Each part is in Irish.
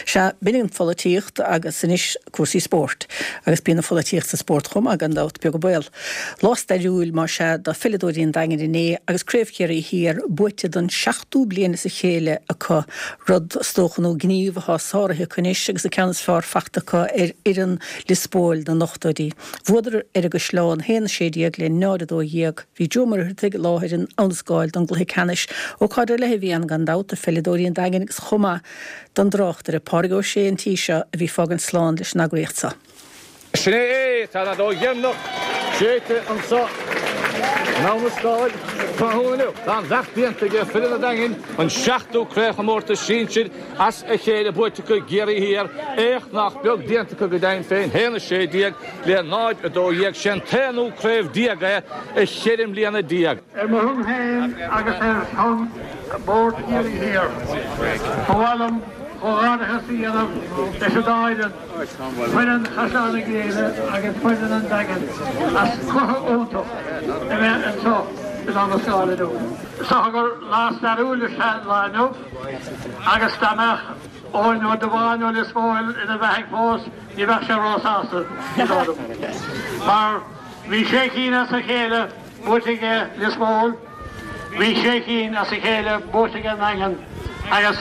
Sea, b'in an pholaitíocht agus anois cúrsaí spóirt. Agus bíonn an pholaitíocht sa spórt chomh maith, gan dabht, beag an baol. Lá stairiúil, más ea, do pheileadóirí an Daingin inné agus Craobh Chiarraí Thiar buaite don seachtú bliain as a chéile acu, rud, is dócha, nó gníomh atá sáraithe acu anois agus an ceann is fearr fachta acu ar fhoireann Lios Póil na n-ochtóidí. Bhuadar ar an gCaisleán, 1-16 le 0-12. Bhí Joe Ó Muircheartaigh i láthair in Abhainn an Scáil don gcluiche ceannais. Ócáid ar leith a bhí ann gan dabht do pheileadóirí an Daingin agus chomh maith don dtráchtaire, Pádraig Ó Sé an tí seo a bhí ag fágaint slán leis an eagraíocht seo. Sin é é! Tá an fheadóg dheireanach séidte anseo in Abhainn an Scáil tráthnóna inniu. Tá an bheacht déanta ag foireann an Daingin, an seachtú craobhchomórtas sinsir as a chéile buaite acu i gCiarraí Thiar. Éacht nach beag déanta acu go deimhin féin, 1-16 le 0-12. Sé an t-aonú craobh déag é i cheithre mbliana déag. Ar mo shon féin agus ar shon Bhord Chiarraí Thiar, ba mhaith liom comhghairdeachas a dhéanamh leis an dá fhoireann, foireann Chaisleán na Gréine agus foireann an Daingin, as cluiche iontach a bheith anseo in Abhainn an Scáil inniu. Is dócha gur lá stairiúil is ea an lá inniu agus dá mbeadh Eoin Ó Dubháin ó Lios Póil ina bheathaidh fós ní bheadh sé róshásta, ní dóigh liom, mar bhí sé cinn as a chéile buaite aige Lios Póil, bhí sé cinn as a chéile buaite ag an nDaingean agus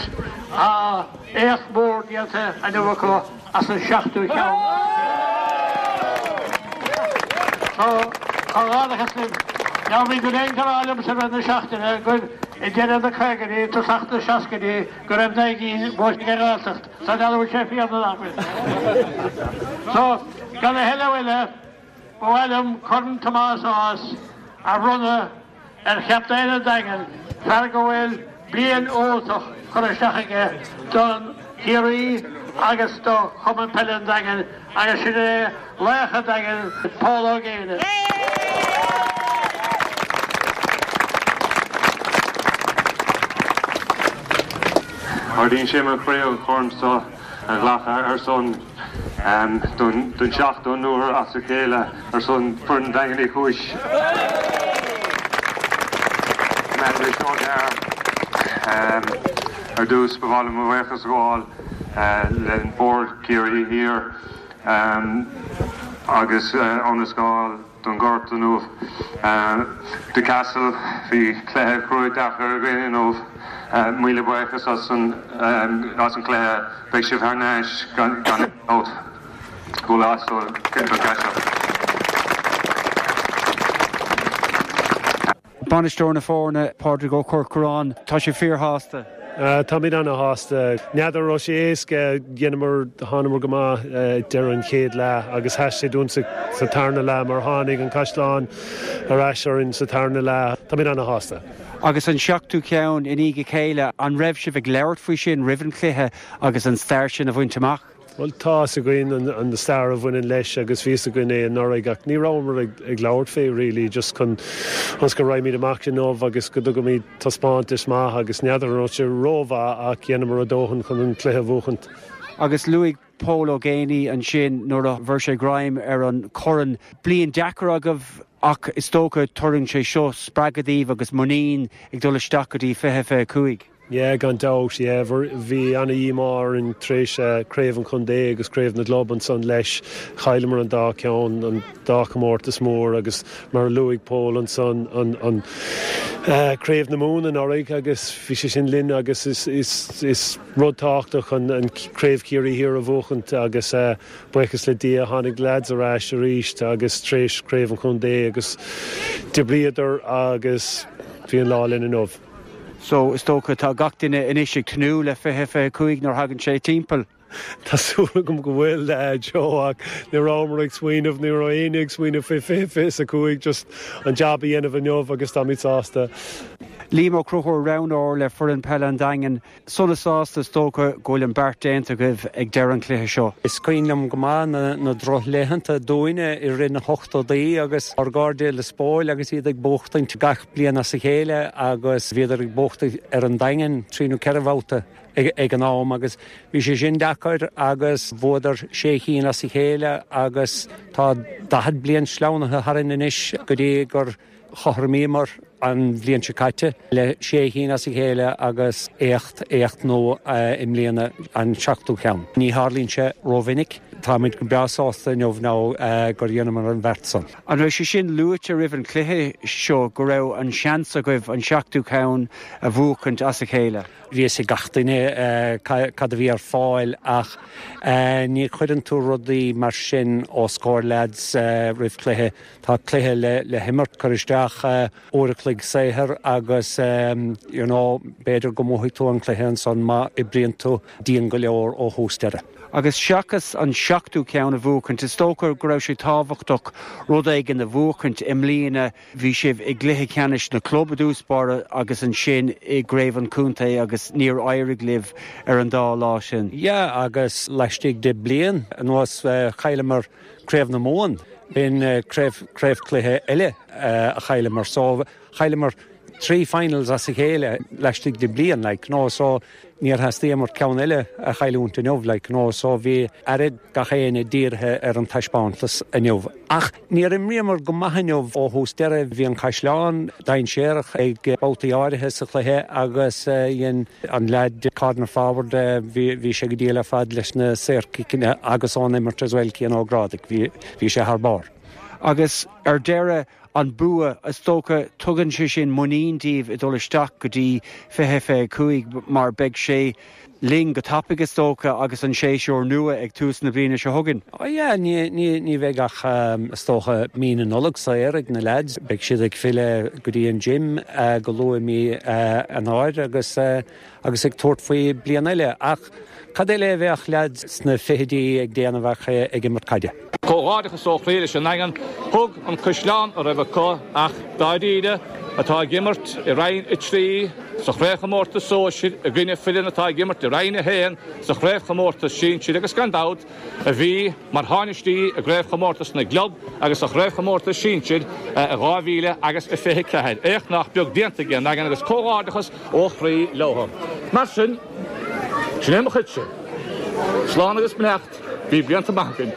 tá éacht mór déanta inniu acu as an seachtú ceann as a chéile. So, comhghairdeachas libh. Now bhí duine éigin ag rá liomsa roimh na seachtaine gur i deireadh na caogaidí, tosach na seascaidí go raibh naoi gcinn buaite ag an nGaeltacht. So n'fheadar an bhfuil sé fíor nó nach bhfuil. So, gan a thuilleadh eile, Ba mhaith liom Corn Tomás Ághas a bhronnadh ar chaptaen an Daingin, fear go bhfuil bliain iontach curtha isteach aige don Chiarraí agus do Chumann Peile an Daingin agus sin é laoch an Daingin, Pól Ó Géibhne. Ardaíonn sé mo chroí an corn seo a ghlacadh ar son don seachtú uair as a chéile ar son foireann Daingean Uí Chúis. Ar dtús, ba mhaith liom mo bhuíochas a ghabháil le Bord Ciarraí Thiar agus Abhainn an Scáil. don ghort inniu. The Castle, bhí cluiche cruaidh deacair againn inniu. Míle buíochas as an as an cluiche. Beidh sibh thar n-ais gan aon dabht. Golazo don Caiseal. Bainisteoir na foirne, Pádraig Ó Corcoráin, Tá sibh fíorshásta. Táimid ana-shásta. N'fheadar an raibh sé éasca, dheineamar, thánamar go maith ag deireadh an chéad leath agus sheas sé dúinn sa tarna leath mar tháinig an Caisleán ar ais orainn sa tarna leath. Táimid ana-shásta. Agus an seachtú ceann i ndiaidh a chéile, an raibh sibh ag labhairt faoi sin roimh an chluiche agus an stair sin a bhaint amach? Bhuel, tá fhios againn an stair a bhaineann leis agus bhí fhios againn é anuraidh ach ní rabhamar ag labhairt fé really, just chun ionas go raghaimid amach inniu agus go dtugaimid taispeántas maith agus n'fheadar an raibh sé rómhaith ach dheineamar a dóthain chun an cluiche a bhuachaint. Agus luaigh Pól Ó Géibheannaigh ansin nuair a bhfuair sé greim ar an chorn, bliain deacair agaibh ach is dócha tabharann sé seo spreagadh daoibh agus muinín ag dul isteach go dtí 2025. Yeah, gan dabht, yeah. Bhí ana-dhíomá orainn tar éis Craobh an Chontae agus Craobh na gClub ansan leis. Chailleamar an dá ceann, an dá chomórtas mór agus mar a luaigh Pól ansan, an Craobh na Mumhan anuraidh agus bhí sé sin linn agus is rud tábhachtach an Craobh Chiarraí Thiar a bhuachaint agus buíochas le Dia tháinig leaids ar ais arís agus tar éis Craobh an Chontae agus d'oibríodar agus bhí an lá linn inniu. So, is dócha, tá gach duine anois ag tnúth le 2025 nuair a thagann sé timpeall. Tá súil agam go bhfuil, Joe, ach ní rabhamar ag smaoineamh, ní raibh éinne ag smaoineamh faoi 2025, just an jab a dhéanamh inniu agus táimid sásta. Liam Ó Conchúir, roghnóir le foireann peile an Daingin. Sona sásta is dócha go bhfuil an beart déanta agaibh ag deireadh an chluiche seo. Is cuimhin liom go maith na drochlaethanta dúinne i rith na hochtódaí agus ár gcairde i Lios Póil agus iad ag buachtaint gach bliain as a chéile agus bhíodar ag buachtaint ar an Daingean trí nó ceithre bhabhta ag an am agus bhí sé sin deacair agus bhuadar sé chinn as a chéile agus tá 40 bliain sleamhnaithe tharainn anois go dtí gur chothromaíomar. an bhliain seo caite le sé chinn as a chéile agus éacht, éacht nua i mbliana, an seachtú ceann. Ní tharlaíonn sé rómhinic. Táimid go breá sásta inniu now gur dheineamar an bheart san. An raibh sé sin luaite roimh an chluiche seo go raibh an seans agaibh an seachtú ceann a bhuachaint as a chéile? Bhí fhios ag gach duine cad a bhí ar fáil ach ní chuireann tú rudaí mar sin os comhair leaids roimh chluiche. Tá cluiche le himirt, cuir isteach uair a chloig saothair agus you know b'fhéidir go mbuafaidh tú an cluiche ansan má oibríonn tú dian go leor ó thús deireadh. Agus seachas an seachtú ceann a bhuachaint, is dócha go raibh sé tábhachtach rud éigin a bhuachaint i mbliana. Bhí sibh i gcluiche ceannais na club i dtús báire agus ansin i gcraobh an chontae agus níor éirigh libh ar an dá lá sin. Yeah agus laistigh de bliain anuas chailleamar Craobh na Mumhan. B'in craobh craobhchluiche eile a chailleamar. So chailleamar trí finals as a chéile laistigh de bliain like you know so níor theastaíomar ceann eile a chailliúint inniu like you know so bhí aire gach éinne dírithe ar an taispeántas inniu. Ach níor imríomar go maith inniu ó thús deireadh. Bhí an Caisleán dainséarach ag babhtaí áirithe sa chluiche agus dhein an leaid corner forward bhí bhí sé go diail ar fad leis na saorchiceanna agus ón imirt as well Cian Ó Grádaigh bhí bhí sé thar barr. Agus ar deireadh an bua, is dócha, tugann sé sin muinín daoibh ag dul isteach go dtí 2025 mar beidh sé linn go tapaidh is dócha agus an séasúr nua ag tús na bliana seo chugainn. Oh yeah, ní, ní, ní bheidh ach is dócha mí na Nollag saor ag na leaids. Beidh siad ag filleadh go dtí an gym go luath i mí Eanáir agus agus ag tabhairt faoi bliain eile. Ach cad eile a bheadh leaids sna fichidí ag déanamh ach ag imirt caide? Comhghairdeachas ó chroí leis an nDaingean. Thug an Caisleán a raibh acu ach dáiríre atá ag imirt i Roinn 3 sa Chraobhchomórtas Sóisir i gcoinne foireann atá ag imirt i Roinn 1 sa Chraobhchomórtas Sinsir agus gan dabht a bhí mar tháinistí i gCraobhchomórtas na gClub agus sa Chraobhchomórtas Sinsir i 2000 agus 24. Éacht nach beag déanta ag an nDaingean agus comhghairdeachas ó chroí leo. Mar sin, sin é mo chuidse. Slán agus beannacht, bíodh blianta maith againn.